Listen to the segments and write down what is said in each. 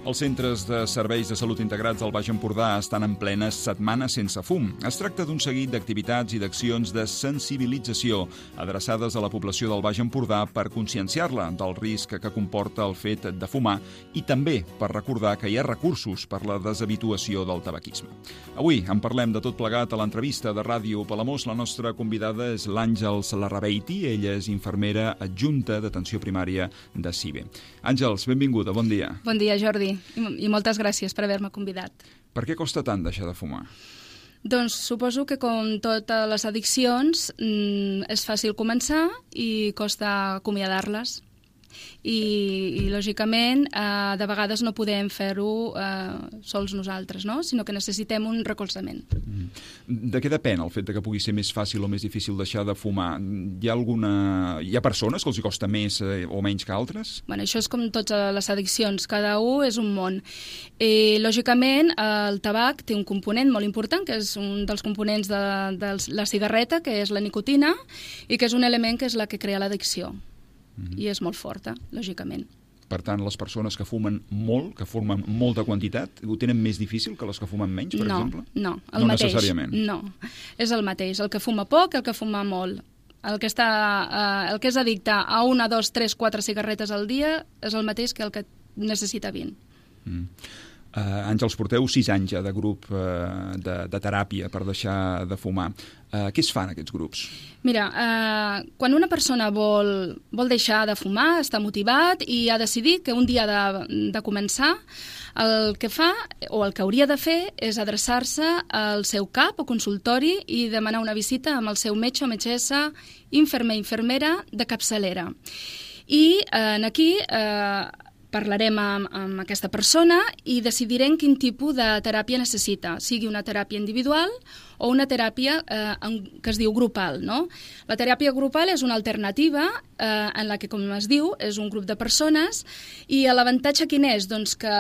Els centres de serveis de salut integrats al Baix Empordà estan en plena setmana sense fum. Es tracta d'un seguit d'activitats i d'accions de sensibilització adreçades a la població del Baix Empordà per conscienciar-la del risc que comporta el fet de fumar i també per recordar que hi ha recursos per la deshabituació del tabaquisme. Avui en parlem de tot plegat a l'entrevista de Ràdio Palamós. La nostra convidada és l'Àngels Larrabeiti. Ella és infermera adjunta d'atenció primària de CIBE. Àngels, benvinguda, bon dia. Bon dia, Jordi, i moltes gràcies per haver-me convidat. Per què costa tant deixar de fumar? Doncs suposo que com totes les addiccions és fàcil començar i costa acomiadar-les. I lògicament, de vegades no podem fer-ho sols nosaltres, no? Sinó que necessitem un recolzament. De què depèn el fet que pugui ser més fàcil o més difícil deixar de fumar? Hi ha persones que els hi costa més o menys que altres? Bueno, això és com totes les addiccions, cada un és un món. Lògicament, el tabac té un component molt important, que és un dels components de la cigarreta, que és la nicotina, i que és un element que és la que crea l'addicció. I és molt forta, lògicament. Per tant, les persones que fumen molt, que fumen molta quantitat, ho tenen més difícil que les que fumen menys, per exemple? No, el mateix. No necessàriament? No, és el mateix. El que fuma poc, el que fuma molt. El que és addicte a 1, 2, 3, 4 cigarretes al dia és el mateix que el que necessita 20. Àngels, porteu 6 anys ja de grup de teràpia per deixar de fumar. Què es fan aquests grups? Mira, quan una persona vol deixar de fumar, està motivat i ha decidit que un dia ha de començar, el que fa, o el que hauria de fer, és adreçar-se al seu CAP o consultori i demanar una visita amb el seu metge o metgessa, infermer, infermera de capçalera. I aquí parlarem amb aquesta persona i decidirem quin tipus de teràpia necessita, sigui una teràpia individual o una teràpia que es diu grupal, no? La teràpia grupal és una alternativa en la que, com es diu, és un grup de persones i l'avantatge quin és? Doncs que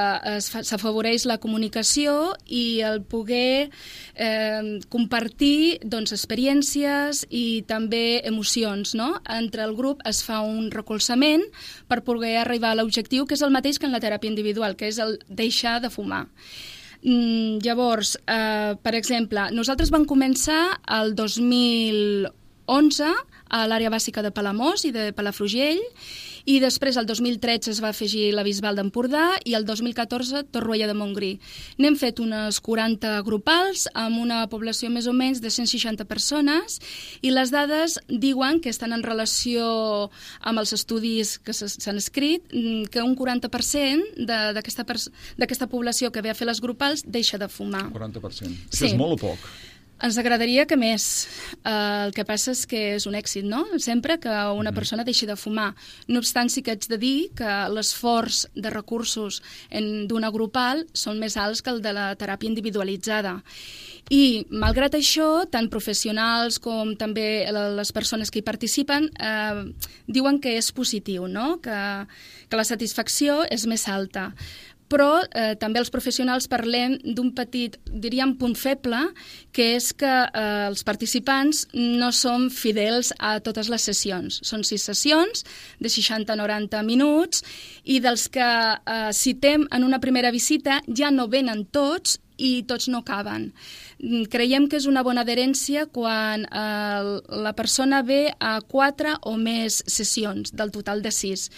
s'afavoreix la comunicació i el poder compartir experiències i també emocions, no? Entre el grup es fa un recolzament per poder arribar a l'objectiu, que és el mateix que en la teràpia individual, que és el deixar de fumar. Llavors, per exemple, nosaltres vam començar el 2011 a l'àrea bàsica de Palamós i de Palafrugell, i després el 2013 es va afegir la Bisbal d'Empordà i el 2014 Torroella de Montgrí. N'hem fet unes 40 grupals amb una població més o menys de 160 persones i les dades diuen que estan en relació amb els estudis que s'han escrit, que un 40% d'aquesta població que ve a fer les grupals deixa de fumar. 40%. Sí. Això és molt o poc? Ens agradaria que més. El que passa és que és un èxit, no? Sempre que una persona deixi de fumar. No obstant, sí que haig de dir que l'esforç de recursos d'una grupal són més alts que el de la teràpia individualitzada. I, malgrat això, tant professionals com també les persones que hi participen diuen que és positiu, no? Que la satisfacció és més alta. Però també els professionals parlem d'un petit, diríem, punt feble, que és que els participants no són fidels a totes les sessions. Són 6 sessions de 60-90 minuts i dels que citem en una primera visita ja no venen tots i tots no caben. Creiem que és una bona adherència quan la persona ve a 4 o més sessions del total de 6.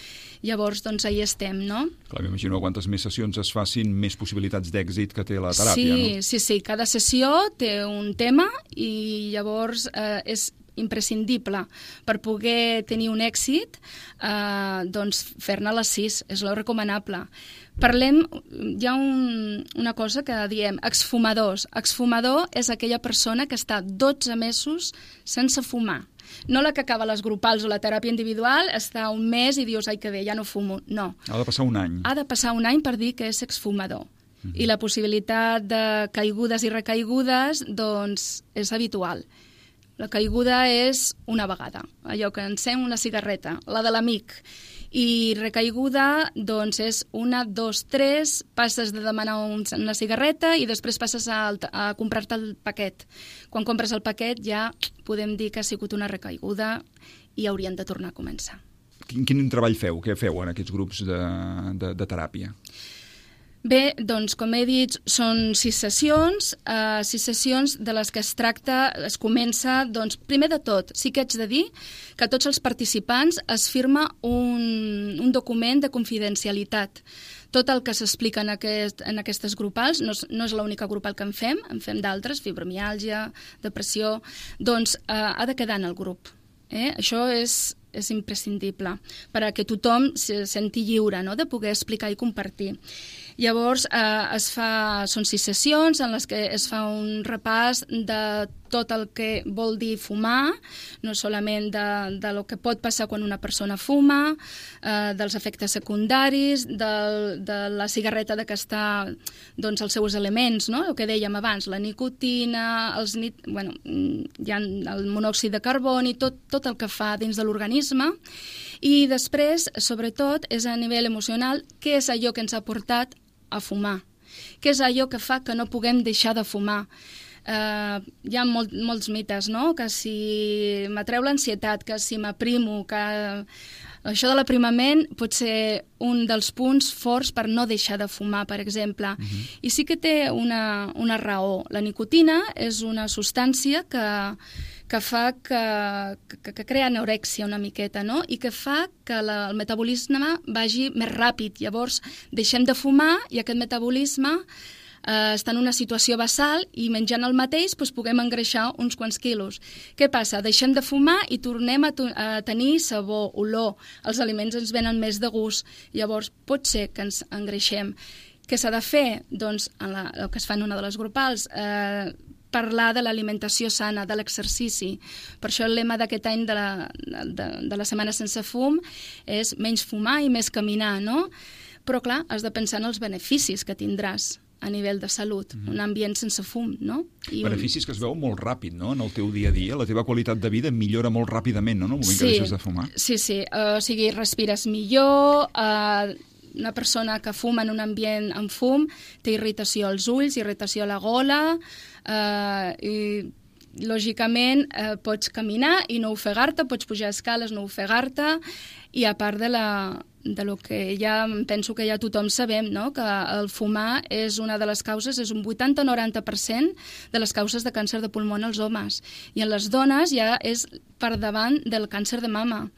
Llavors, doncs, ahí estem, no? Clar, m'imagino quantes més sessions es facin, més possibilitats d'èxit que té la teràpia, no? Sí. Cada sessió té un tema i llavors és imprescindible per poder tenir un èxit, doncs fer-ne les 6, és lo recomanable. Parlem, hi ha una cosa que diem, exfumadors. Exfumador és aquella persona que està 12 mesos sense fumar. No la que acaba les grupals o la teràpia individual, està un mes i dius, ai que bé, ja no fumo. No. Ha de passar un any. Ha de passar un any per dir que és exfumador. I la possibilitat de caigudes i recaigudes, doncs, és habitual. La caiguda és una vegada, allò que encén una cigarreta, la de l'amic. I recaiguda, doncs, és 1, 2, 3, passes de demanar una cigarreta i després passes a comprar-te el paquet. Quan compres el paquet ja podem dir que ha sigut una recaiguda i haurien de tornar a començar. Quin treball feu? Què feu en aquests grups de teràpia? Bé, doncs, com he dit, són 6 sessions de les que es comença, doncs, primer de tot, sí que haig de dir que tots els participants es firma un document de confidencialitat. Tot el que s'explica en aquestes grupals, no és l'única grupal que en fem d'altres, fibromiàlgia, depressió, doncs ha de quedar en el grup. Això és imprescindible perquè tothom se senti lliure, no?, de poder explicar i compartir. Llavors, són 6 sessions en les que es fa un repàs de tot el que vol dir fumar, no solament de lo que pot passar quan una persona fuma, dels efectes secundaris, de la cigarreta de que està, doncs, els seus elements, no?, el que dèiem abans, la nicotina, hi ha el monòxid de carboni, tot el que fa dins de l'organisme. I després, sobretot, és a nivell emocional, què és allò que ens ha portat a fumar? Què és allò que fa que no puguem deixar de fumar? Hi ha molts mites, no?, que si m'atreu l'ansietat, que si m'aprimo, que això de l'aprimament pot ser un dels punts forts per no deixar de fumar, per exemple. I sí que té una raó. La nicotina és una substància que fa que crea anorèxia una miqueta, no?, i que fa que el metabolisme vagi més ràpid. Llavors deixem de fumar i aquest metabolisme està en una situació basal i menjant el mateix puguem engreixar uns quants quilos. Què passa? Deixem de fumar i tornem a tenir sabor, olor. Els aliments ens venen més de gust. Llavors pot ser que ens engreixem. Què s'ha de fer? Doncs el que es fa en una de les grupals, parlar de l'alimentació sana, de l'exercici. Per això el lema d'aquest any de la Setmana Sense Fum és menys fumar i més caminar, no? Però clar, has de pensar en els beneficis que tindràs a nivell de salut, un ambient sense fum, no? Beneficis que es veuen molt ràpid, no?, en el teu dia a dia. La teva qualitat de vida millora molt ràpidament, no?, en el moment que deixes de fumar. Sí. O sigui, respires millor, una persona que fuma en un ambient amb fum té irritació als ulls, irritació a la gola, i lògicament pots caminar i no ofegar-te, pots pujar escales, no ofegar-te, i a part de lo que ja penso que ja tothom sabem, no?, que el fumar és una de les causes, és un 80-90% de les causes de càncer de pulmó en els homes, i en les dones ja és per davant del càncer de mama.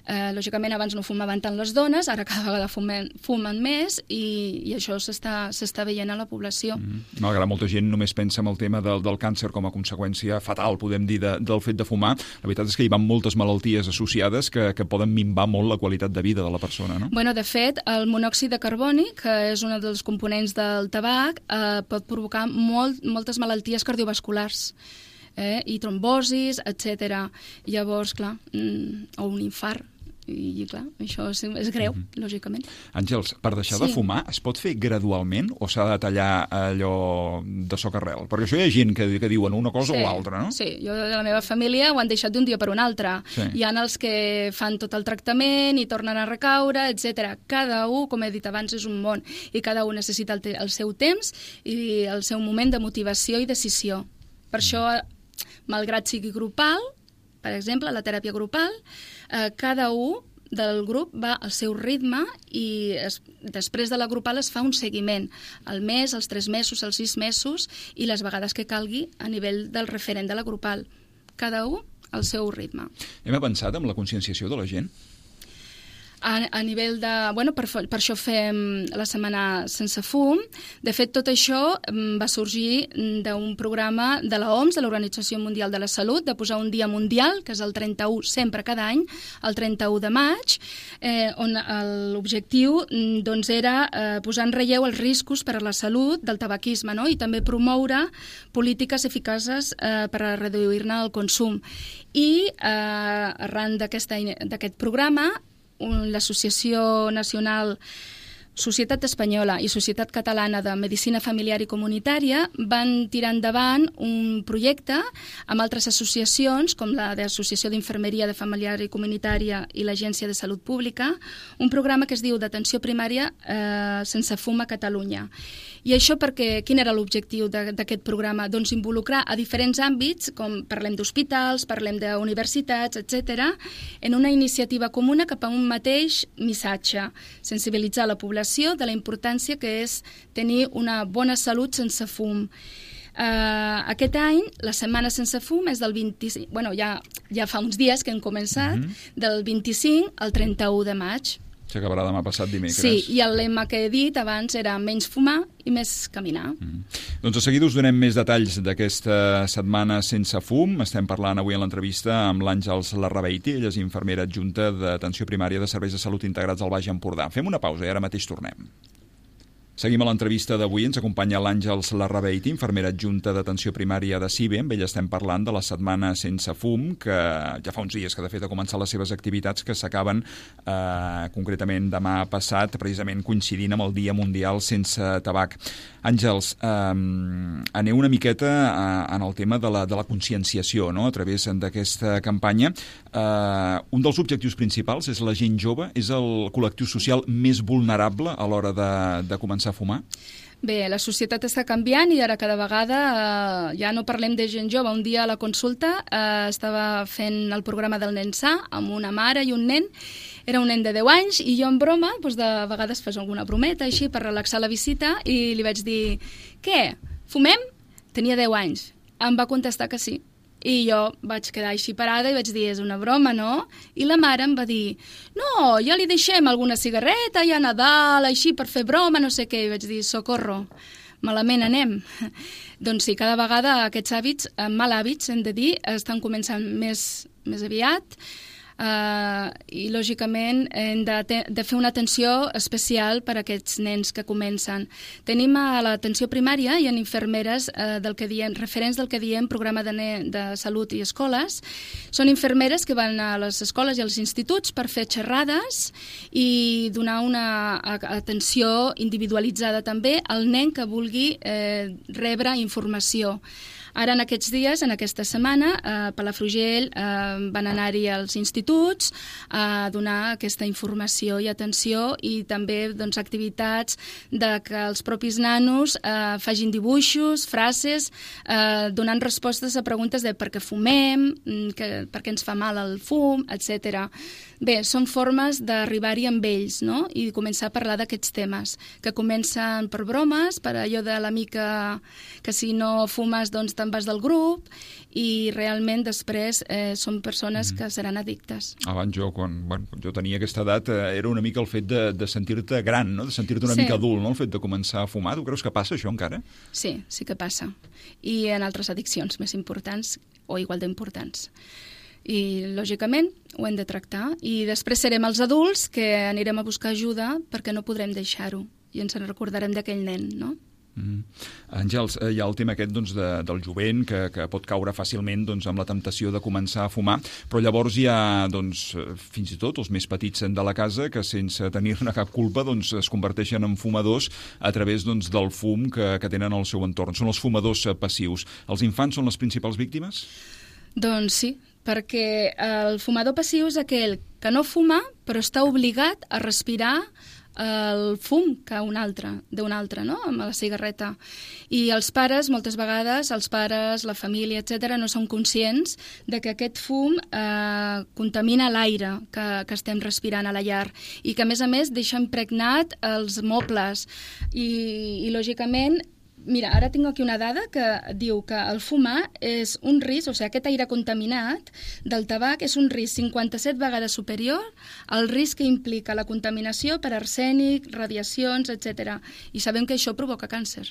Lògicament abans no fumaven tant les dones, ara cada vegada fumen més i això s'està veient a la població. Malgrat molta gent només pensa en el tema del càncer com a conseqüència fatal, podem dir, del fet de fumar, la veritat és que hi van moltes malalties associades que poden minvar molt la qualitat de vida de la persona, no? Bueno, de fet, el monòxid de carboni, que és un dels components del tabac, pot provocar moltes malalties cardiovasculars, i trombosis, etc. Llavors, clar, o un infart. I clar, això és greu, lògicament. Àngels, per deixar de fumar es pot fer gradualment o s'ha de tallar allò de socarrel? Perquè això hi ha gent que diuen una cosa o l'altra, no? Sí, jo de la meva família ho han deixat d'un dia per un altre. Hi ha els que fan tot el tractament i tornen a recaure, etc. Cada un, com he dit abans, és un món i cada un necessita el seu temps i el seu moment de motivació i decisió. Per això, malgrat sigui grupal, per exemple, la teràpia grupal, cada un del grup va al seu ritme i després de la grupal es fa un seguiment al mes, als 3 mesos, als 6 mesos i les vegades que calgui a nivell del referent de la grupal. Cada un al seu ritme. Hem avançat amb la conscienciació de la gent? A nivell de... Bueno, per això fem la Setmana Sense Fum. De fet, tot això va sorgir d'un programa de l'OMS, de l'Organització Mundial de la Salut, de posar un dia mundial, que és el 31, sempre cada any, el 31 de maig, on l'objectiu doncs, era posar en relleu els riscos per a la salut del tabaquisme, no? I també promoure polítiques eficaces per a reduir-ne el consum. I arran d'aquest programa, l'Associació Nacional Societat Espanyola i Societat Catalana de Medicina Familiar i Comunitària van tirar endavant un projecte amb altres associacions, com la d'Associació d'Infermeria de Familiar i Comunitària i l'Agència de Salut Pública, un programa que es diu d'Atenció Primària Sense Fum a Catalunya. I això perquè, quin era l'objectiu d'aquest programa? Doncs involucrar a diferents àmbits, com parlem d'hospitals, parlem d'universitats, etc., en una iniciativa comuna cap a un mateix missatge, sensibilitzar la població divulgació de la importància que és tenir una bona salut sense fum. Aquest any, la setmana sense fum és del 25... Bueno, ja fa uns dies que hem començat, del 25 al 31 de maig. S'acabarà demà passat dimecres. Sí, i el lema que he dit abans era menys fumar i més caminar. Doncs de seguida us donem més detalls d'aquesta setmana sense fum. Estem parlant avui en l'entrevista amb l'Àngels Larrabeiti, ella és infermera adjunta d'Atenció Primària de Serveis de Salut Integrats al Baix Empordà. Fem una pausa i ara mateix tornem. Seguim a l'entrevista d'avui. Ens acompanya l'Àngels Larrabeiti, infermera adjunta d'Atenció Primària de CIBE. Amb ella estem parlant de la setmana sense fum, que ja fa uns dies que de fet ha començat les seves activitats, que s'acaben concretament demà passat, precisament coincidint amb el Dia Mundial sense tabac. Àngels, aneu una miqueta en el tema de la conscienciació, no?, a través d'aquesta campanya. Un dels objectius principals és la gent jove, és el col·lectiu social més vulnerable a l'hora de començar a fumar? Bé, la societat està canviant i ara cada vegada ja no parlem de gent jove. Un dia a la consulta estava fent el programa del nen sa amb una mare i un nen. Era un nen de 10 anys i jo en broma, doncs de vegades fas alguna brometa així per relaxar la visita i li vaig dir, què, fumem? Tenia 10 anys. Em va contestar que sí. I jo vaig quedar així parada i vaig dir, és una broma, no? I la mare em va dir, no, ja li deixem alguna cigarreta, ja a Nadal, així per fer broma, no sé què. I vaig dir, socorro, malament anem. Doncs sí, cada vegada aquests hàbits, mal hàbits, hem de dir, estan començant més aviat. I lògicament hem de fer una atenció especial per a aquests nens que comencen. Tenim a l'atenció primària hi ha infermeres del que diem, referents del que diem programa de salut i escoles. Són infermeres que van a les escoles i als instituts per fer xerrades i donar una atenció individualitzada també al nen que vulgui rebre informació. Ara, en aquests dies, en aquesta setmana, a Palafrugell van anar-hi als instituts a donar aquesta informació i atenció i també activitats que els propis nanos facin dibuixos, frases, donant respostes a preguntes de per què fumem, per què ens fa mal el fum, etc. Bé, són formes d'arribar-hi amb ells, no?, i començar a parlar d'aquests temes, que comencen per bromes, per allò de l'amica que si no fumes doncs te'n vas del grup, i realment després són persones que seran addictes. Abans quan jo tenia aquesta edat era una mica el fet de sentir-te gran, no?, de sentir-te una mica adult, no?, el fet de començar a fumar. Tu creus que passa això encara? Sí, sí que passa. I en altres addiccions més importants o igual d'importants. I, lògicament, ho hem de tractar. I després serem els adults que anirem a buscar ajuda perquè no podrem deixar-ho i ens en recordarem d'aquell nen, no? Àngels, hi ha el tema aquest del jovent que pot caure fàcilment amb la temptació de començar a fumar, però llavors hi ha fins i tot els més petits de la casa que sense tenir-ne cap culpa es converteixen en fumadors a través del fum que tenen al seu entorn. Són els fumadors passius. Els infants són les principals víctimes? Doncs sí, perquè el fumador passiu és aquell que no fuma però està obligat a respirar el fum d'un altre, no?, amb la cigarreta. I els pares, moltes vegades, els pares, la família, etc., no són conscients de que aquest fum contamina l'aire que estem respirant a la llar i que, a més, deixa impregnat els mobles. I lògicament, mira, ara tinc aquí una dada que diu que el fumar és un risc, o sigui, aquest aire contaminat del tabac és un risc 57 vegades superior al risc que implica la contaminació per arsènic, radiacions, etc. I sabem que això provoca càncer.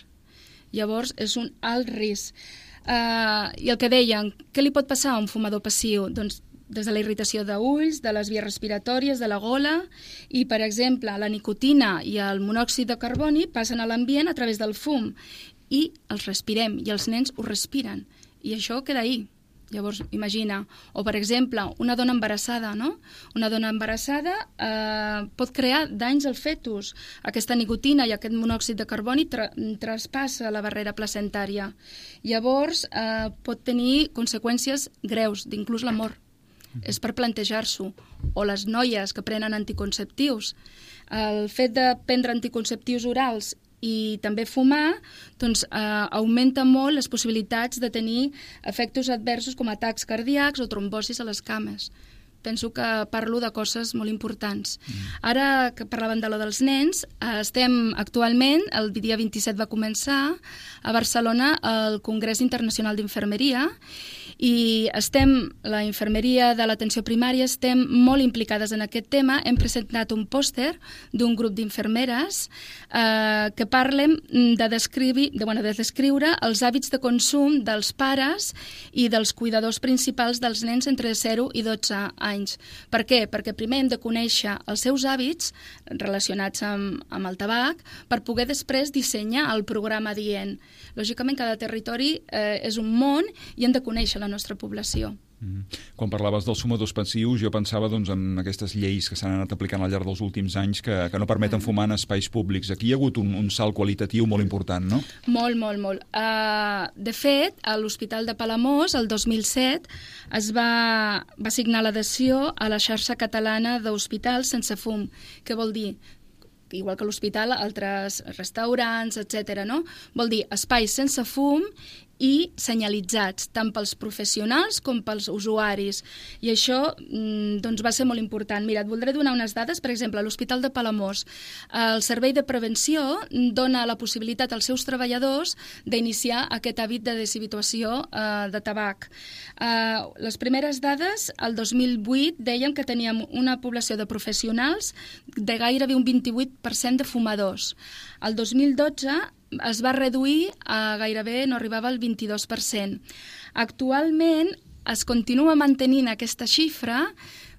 Llavors, és un alt risc. I el que deien, què li pot passar a un fumador passiu? Doncs des de la irritació d'ulls, de les vies respiratòries, de la gola, i, per exemple, la nicotina i el monòxid de carboni passen a l'ambient a través del fum i els respirem, i els nens ho respiren, i això queda ahí. Llavors, imagina, o per exemple, una dona embarassada, no? Una dona embarassada pot crear danys al fetus. Aquesta nicotina i aquest monòxid de carboni traspassa la barrera placentària. Llavors, pot tenir conseqüències greus, d'inclús la mort. És per plantejar-s'ho. O les noies que prenen anticonceptius. El fet de prendre anticonceptius orals i també fumar augmenta molt les possibilitats de tenir efectes adversos com atacs cardíacs o trombosis a les cames. penso que parlo de coses molt importants. Ara que parlàvem de lo dels nens, estem actualment, el dia 27 va començar a Barcelona el Congrés Internacional d'Infermeria, i la infermeria de l'atenció primària estem molt implicades en aquest tema. Hem presentat un pòster d'un grup d'infermeres que parlem de descriure els hàbits de consum dels pares i dels cuidadors principals dels nens entre 0 i 12 anys. Per què? Perquè primer hem de conèixer els seus hàbits relacionats amb el tabac per poder després dissenyar el programa adient. Lògicament, cada territori és un món i hem de conèixer la nostra població. Quan parlaves dels fumadors passius, jo pensava en aquestes lleis que s'han anat aplicant al llarg dels últims anys que no permeten fumar en espais públics. Aquí hi ha hagut un salt qualitatiu molt important, no? Molt, molt, molt. De fet, a l'Hospital de Palamós, el 2007, es va signar l'adhesió a la xarxa catalana d'hospitals sense fum. Què vol dir? Igual que l'hospital, altres restaurants, etc. no? Vol dir espais sense fum i senyalitzats, tant pels professionals com pels usuaris. I això va ser molt important. Mira, et voldré donar unes dades. Per exemple, a l'Hospital de Palamós, el Servei de Prevenció dona la possibilitat als seus treballadors d'iniciar aquest hàbit de deshabituació de tabac. Les primeres dades, el 2008, deien que teníem una població de professionals de gairebé un 28% de fumadors. El 2012 es va reduir a gairebé, no arribava al 22%. Actualment es continua mantenint aquesta xifra,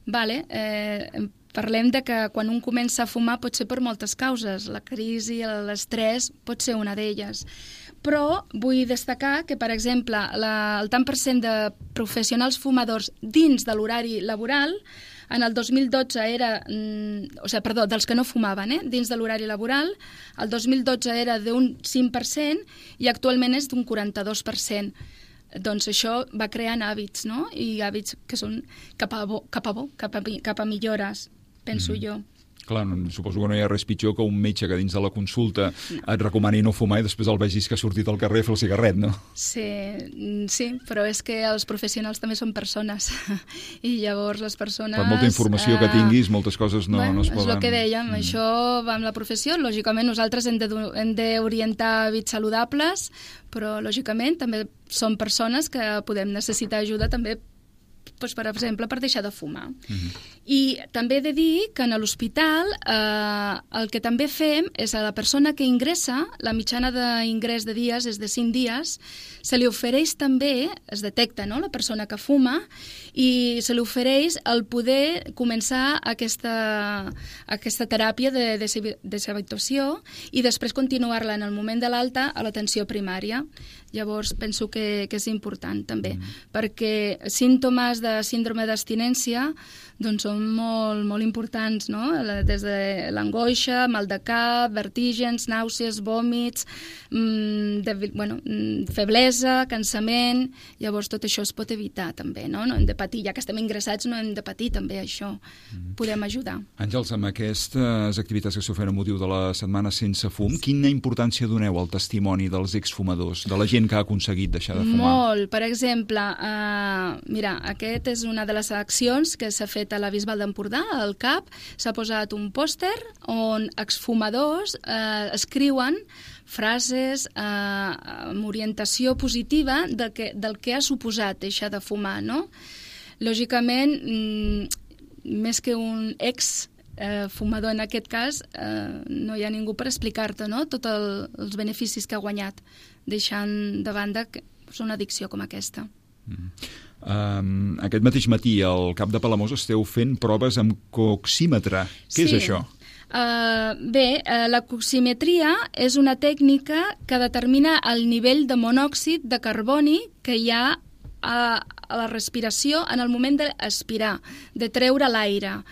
parlem de que quan un comença a fumar pot ser per moltes causes, la crisi, l'estrès pot ser una d'elles. Però vull destacar que, per exemple, el tant per cent de professionals fumadors dins de l'horari laboral en el 2012 era, dels que no fumaven, dins de l'horari laboral, el 2012 era d'un 5% i actualment és d'un 42%. Doncs això va creant hàbits, no? I hàbits que són cap a millores, penso jo. Clar, suposo que no hi ha res pitjor que un metge que dins de la consulta et recomani no fumar i després el vegis que ha sortit al carrer a fer el cigarret, no? Sí, però és que els professionals també són persones i llavors les persones... Per molta informació que tinguis, moltes coses no es poden... És el que dèiem, això va amb la professió. Lògicament nosaltres hem d'orientar hàbits saludables, però lògicament també són persones que podem necessitar ajuda també, per exemple, per deixar de fumar. I també he de dir que en l'hospital el que també fem és a la persona que ingressa, la mitjana d'ingrés de dies és de 5 dies, se li ofereix també, es detecta, no?, la persona que fuma, i se li ofereix el poder començar aquesta teràpia de deshabituació i després continuar-la en el moment de l'alta a l'atenció primària. Llavors penso que és important també, perquè símptomes de síndrome d'abstinència doncs són molt, molt importants, no? Des de l'angoixa, mal de cap, vertígens, nàusees, vòmits, feblesa, cansament. Llavors tot això es pot evitar també, no? No hem de patir, ja que estem ingressats no hem de patir també això, podem ajudar. Àngels, amb aquestes activitats que s'oferen a motiu de la Setmana Sense Fum, quina importància doneu al testimoni dels exfumadors, de la gent que ha aconseguit deixar de fumar? Molt, per exemple, mira, aquest és una de les accions que s'ha fet a la Bisbal d'Empordà, al CAP, s'ha posat un pòster on exfumadors escriuen frases amb orientació positiva del que ha suposat deixar de fumar, no? Lògicament, més que un fumador en aquest cas, no hi ha ningú per explicar-te, no?, tots els beneficis que ha guanyat, deixant de banda una addicció com aquesta. Aquest mateix matí al CAP de Palamós esteu fent proves amb coxímetre. Què és això? La coximetria és una tècnica que determina el nivell de monòxid de carboni que hi ha a la respiració en el moment d'aspirar, de treure l'aire.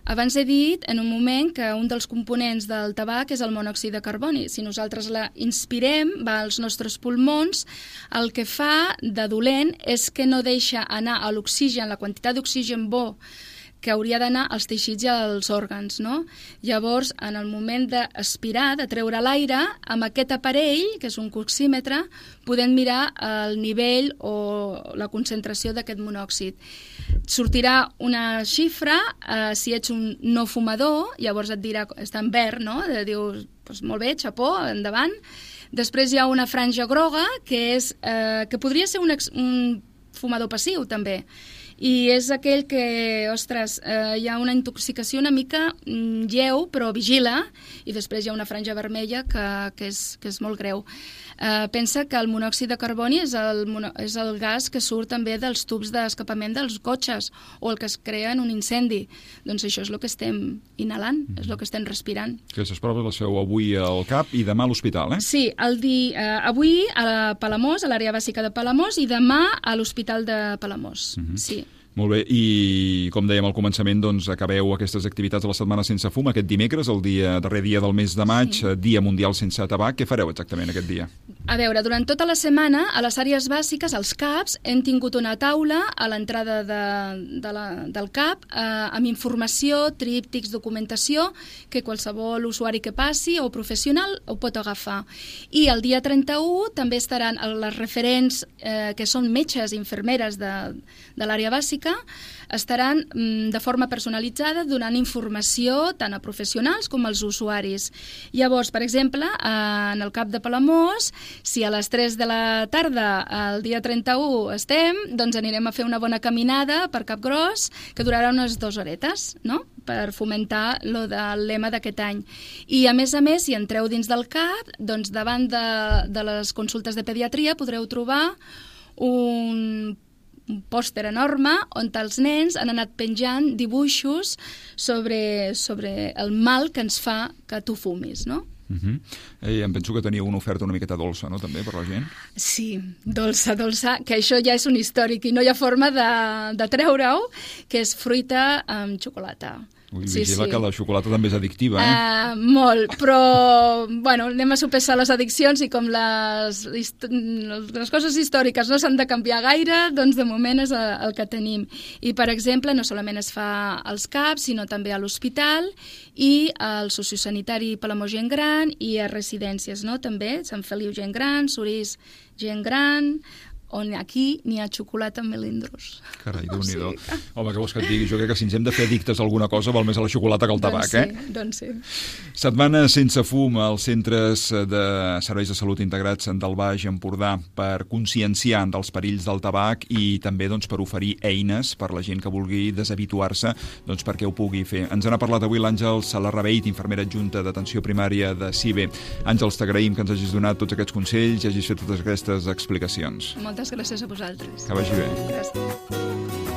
Abans he dit, en un moment, que un dels components del tabac és el monòxid de carboni. Si nosaltres la inspirem, va als nostres pulmons, el que fa de dolent és que no deixa anar a l'oxigen, la quantitat d'oxigen bo que hauria d'anar als teixits i als òrgans, no? Llavors, en el moment d'aspirar, de treure l'aire, amb aquest aparell, que és un coxímetre, podem mirar el nivell o la concentració d'aquest monòxid. sortirà una xifra, si ets un no fumador, llavors et dirà, està en verd, no? Dius, doncs molt bé, xapó, endavant. Després hi ha una franja groga, que podria ser un fumador passiu, també. I és aquell que, ostres, hi ha una intoxicació una mica lleu, però vigila, i després hi ha una franja vermella que és molt greu. Pensa que el monòxid de carboni és el gas que surt també dels tubs d'escapament dels cotxes, o el que es crea en un incendi. Doncs això és el que estem inhalant, és el que estem respirant. Aquestes proves les feu avui al CAP i demà a l'hospital, eh? Sí, avui a Palamós, a l'àrea bàsica de Palamós, i demà a l'Hospital de Palamós. Sí. Molt bé, i com dèiem al començament, doncs acabeu aquestes activitats de la Setmana Sense Fum aquest dimecres, el darrer dia del mes de maig, Dia Mundial Sense Tabac. Què fareu exactament aquest dia? A veure, durant tota la setmana, a les àrees bàsiques, als CAPs, hem tingut una taula a l'entrada del CAP amb informació, tríptics, documentació, que qualsevol usuari que passi o professional ho pot agafar. I el dia 31 també estaran les referents, que són metges i infermeres de l'àrea bàsica, estaran de forma personalitzada donant informació tant a professionals com als usuaris. Llavors, per exemple, en el CAP de Palamós, si a les 3 de la tarda el dia 31 estem, doncs anirem a fer una bona caminada per Capgròs, que durarà unes 2 horetes, no?, per fomentar el lema d'aquest any. I, a més, si entreu dins del CAP, doncs davant de les consultes de pediatria podreu trobar un pòster enorme on els nens han anat penjant dibuixos sobre el mal que ens fa que tu fumis, no? Em penso que teniu una oferta una miqueta dolça, no?, també, per la gent. Sí, dolça, que això ja és un històric i no hi ha forma de treure-ho, que és fruita amb xocolata. Vigila que la xocolata també és addictiva, eh? Molt, però bueno, anem a sopesar les addiccions i com les coses històriques no s'han de canviar gaire, doncs de moment és el que tenim. I, per exemple, no solament es fa als CAPs, sinó també a l'hospital i al sociosanitari Palamós Gent Gran i a residències, no?, també, Sant Feliu Gent Gran, Sorís Gent Gran, on aquí n'hi ha xocolata amb melindros. Carai, Déu-n'hi-do. Home, què vols que et digui? Jo crec que si ens hem de fer addictes a alguna cosa val més a la xocolata que al tabac, Doncs sí. Setmana Sense Fum als centres de serveis de salut integrats del Baix Empordà per conscienciar dels perills del tabac i també per oferir eines per la gent que vulgui deshabituar-se perquè ho pugui fer. Ens n'ha parlat avui l'Àngels Salarrabeit, infermera adjunta d'atenció primària de CIBE. Àngels, t'agraïm que ens hagis donat tots aquests consells i hagis fet totes aquestes explicacions. Moltes gràcies a vosaltres. Que vagi bé. Gràcies.